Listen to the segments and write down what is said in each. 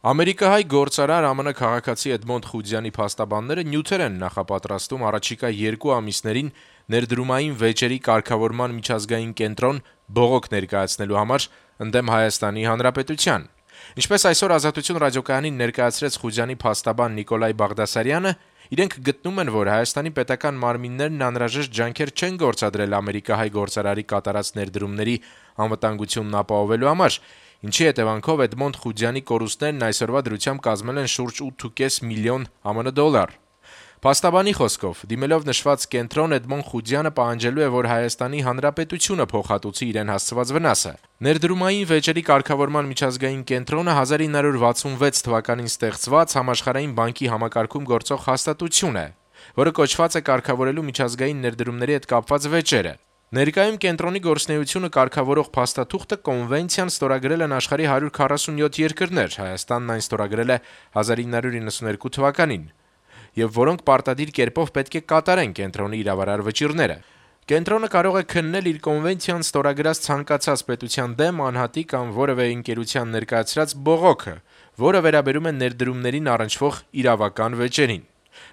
Ամերիկահայ գործարար ԱՄՆ քաղաքացի Էդմոնդ Խուդյանի փաստաբանները նյութեր են նախապատրաստում առաջիկա 2 ամիսներին ներդրումային վեճերի կարգավորման միջազգային կենտրոն բողոք ներկայացնելու համար ընդդեմ Հայաստանի Հանրապետության։ Ինչպես այսօր Ազատություն ռադիոկայանին ներկայացրեց Խուդյանի փաստաբան Նիկոլայ Բաղդասարյանը, իրենք գտնում են, որ Հայաստանի պետական մարմիններն անհրաժեշտ ջանքեր չեն գործադրել ամերիկահայ գործարարի կատարած ներդրումների անվտանգությունն ապահովելու համար, ինչի հետևանքով Էդմոնդ Խուդյանի կորուստներն այսօրվա դրությամբ կազմել են շուրջ 8.5 միլիոն ԱՄՆ դոլար։ Փաստաբանի խոսքով, դիմելով նշված կենտրոն, Էդմոնդ Խուդյանը պահանջելու է, որ Հայաստանի Հանրապետությունը փոխհատուցի իրեն հասցված վնասը։ Ներդրումային վեճերի կարգավորման միջազգային կենտրոնը 1966 թվականին ստեղծված Համաշխարհային բանկի համակարգում գործող հաստատություն է, որը կոչված է կարգավորելու միջազգային ներդրումների հետ կապված վեճերը։ Ներկայում կենտրոնի գործունեությունը կարգավորող փաստաթուղթը կոնվենցիան ստորագրել են աշխարհի 147 երկրներ, Հայաստանն այն ստորագրել է 1992 թվականին, եւ որոնք պարտադիր կերպով պետք է կատարեն կենտրոնի իրավարար վճիռները։ Կենտրոնը կարող է քննել իր կոնվենցիան ստորագրած ցանկացած պետության դեմ անհատի կամ որևէ ընկերության ներկայացրած բողոքը, որը վերաբերում է ներդրումներին առնչվող իրավական վեճերին։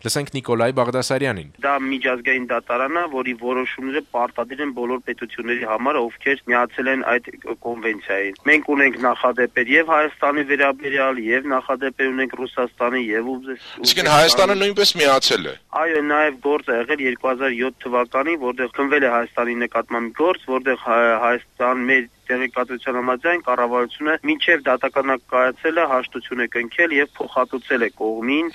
Լսենք Նիկոլայ Բաղդասարյանին։ Դա միջազգային դատարանն է, որի որոշումները պարտադիր են բոլոր պետությունների համար, ովքեր միացել են այդ կոնվենցիային։ Մենք ունենք նախադեպեր եւ Հայաստանի վերաբերյալ, եւ նախադեպեր ունենք Ռուսաստանի եւ Իսկ Հայաստանը նույնպես միացել է։ Այո, նաեւ գործ է եղել 2007 թվականին, որտեղ քննվել է Հայաստանի նկատմամբ գործ, որտեղ Հայաստան մեր տեղեկատվության համաձայն կառավարությունը մինչև դատականակայացել է, հաշտություն է կնքել եւ փոխհատուցել է կողմին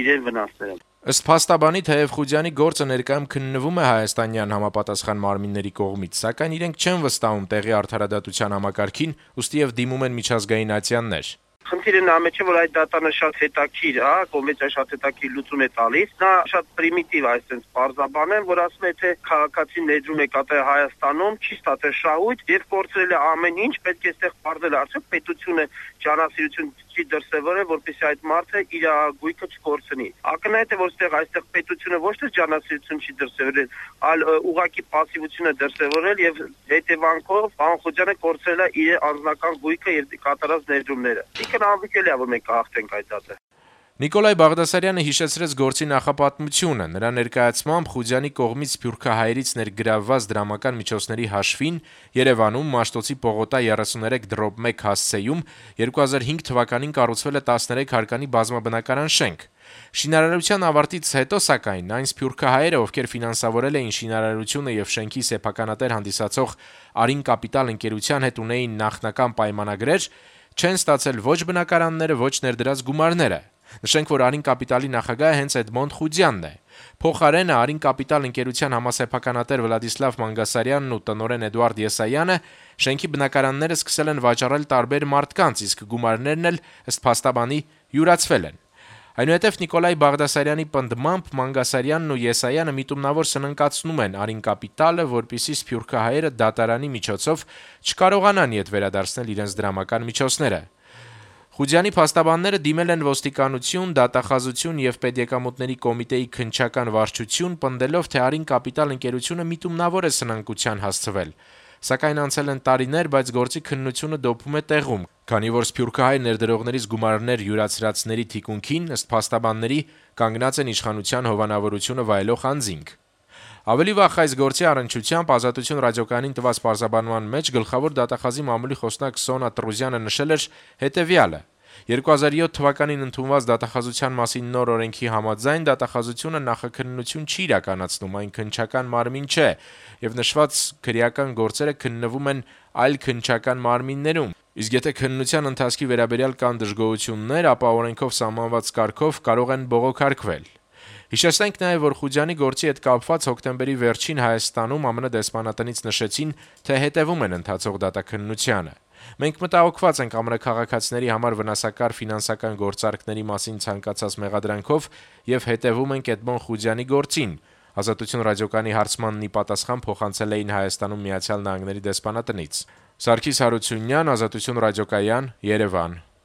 իրեն վնասները։ Ըստ փաստաբանի, թեև Խուդյանի գործը ներկայում քննվում է հայաստանյան համապատասխան մարմինների կողմից, սակայն իրենք չեն վստահում տեղի արդարադատության համակարգին, ուստի եւ դիմում են միջազգային ատյաններ։ Խնդիրը նա մեջ է, որ այդ դատանը շատ հետաքրքիր է, կոնվենցիա շատ հետաքրքիր լուծում է տալիս։ Նա շատ պրիմիտիվ այսպես պարզաբան է, որ ասում է, թե քաղաքացին ներդրում է կատարել Հայաստանում, չի ստացել շահույթ եւ կորցրել է ամեն ինչ, պետք է այստեղ պարզել արդյոք պետությունը ջանասիրություն չի դրսևորել, որպեսզի այդ մարդը իր գույքը չկորցնի։ Ակնհայտ է, որ այստեղ պետությունը ոչ թե ջանասիրություն չի դրսևորել, այլ ուղղակի пассивություն է դրսևորել եւ հետեւանքով պարոն Խուդյանը կորցրել է իր անձնական գույքը եւ կատարած ներդրումները։ Անվիկելի է, որ մենք կհաղթենք այդ դատը։ Նիկոլայ Բաղդասարյանը հիշեցրեց գործի նախապատմությունը։ Նրա ներկայացմամբ Խուդյանի կողմից սփյուռքահայերից ներգրավված դրամական միջոցների հաշվին Երևանում Մաշտոցի Պողոտա 33/1 հասցեում 2005 թվականին կառուցվել է 13 հարկանի բազմաբնակարան շենք։ Շինարարության ավարտից հետո, սակայն, այն սփյուռքահայերը, ովքեր ֆինանսավորել էին շինարարությունը եւ շենքի սեփականատեր հանդիսացող Արին Կապիտալ ընկերության հետ ունեին նախնական պայմանագրեր, չեն ստացել ոչ բնակարանները, ոչ ներդրած գումարները։ Նշենք, որ Արին Կապիտալի նախագահը հենց Էդմոնդ Խուդյանն է։ Փոխարենը Արին Կապիտալ ընկերության համասեփականատեր Վլադիսլավ Մանգասարյանն ու տնօրեն Էդուարդ Եսայանը շենքի բնակարանները սկսել են վաճառել տարբեր մարդկանց, իսկ գումարներն էլ ըստ փաստաբանի յուրացվել են։ Այնուհետև Նիկոլայ Բաղդասարյանի պնդմամբ Մանգասարյանն ու Եսայանը միտումնավոր սննկացնում են Արին Կապիտալը, որպեսզի սփյուռքահայերը դատարանի միջոցով չկարողանան իդ վերադարձնել իրենց դրամական միջոցները։ Խուդյանի փաստաբանները դիմել են ոստիկանություն, դատախազություն եւ պետեկամուտների կոմիտեի քննչական վարչություն, պնդելով, թե Արին Կապիտալ ընկերությունը միտումնավոր է սնանկության հասցվել։ Սակայն անցել են տարիներ, բայց գործի քննությունը դոփում է տեղում, քանի որ սփյուռքահայ ներդրողներից գումարներ յուրացրածների թիկունքին, ըստ փաստաբանների, կանգնած են իշխանության հովանավորությունը վայելող անձինք։ Ավելի վաղ այս գործի առնչությամբ Ազատություն ռադիոկայանին տված պարզաբանման մեջ գլխավոր դատախազի մամուլի խոսնակ Սոնա Տրուզյանը նշել էր հետևյալը. 2007 թվականին ընդունված դատախազության մասին նոր օրենքի համաձայն դատախազությունը նախաքննություն չի իրականացնում, այն քննչական մարմին չէ, եւ նշված քրեական գործերը քննվում են այլ քննչական մարմիններում։ Իսկ եթե քննության ընթացքի վերաբերյալ կան դժգոհություններ, ապա օրենքով սահմանված կարգով կարող են բողոքարկվել։ Հիշեցնենք նաև, որ Խուդյանի գործի հետ կապված հոկտեմբերի վերջին Հայաստանում ԱՄՆ դեսպանատնից նշեցին, թե հետևում են ընթացող դատաքննությանը։ Մենք մտահոգված ենք ԱՄՆ քաղաքացիների համար վնասակար ֆինանսական գործարքների մասին ցանկացած մեղադրանքով եւ հետևում ենք Էդմոնդ Խուդյանի գործին։ Ազատություն ռադիոկայանի հարցմանն ի պատասխան փոխանցել էին Հայաստանում Միացյալ Նահանգների դեսպանատնից։ Սարգիս Հարությունյան, Ազատություն ռադիոկայան, Երևան։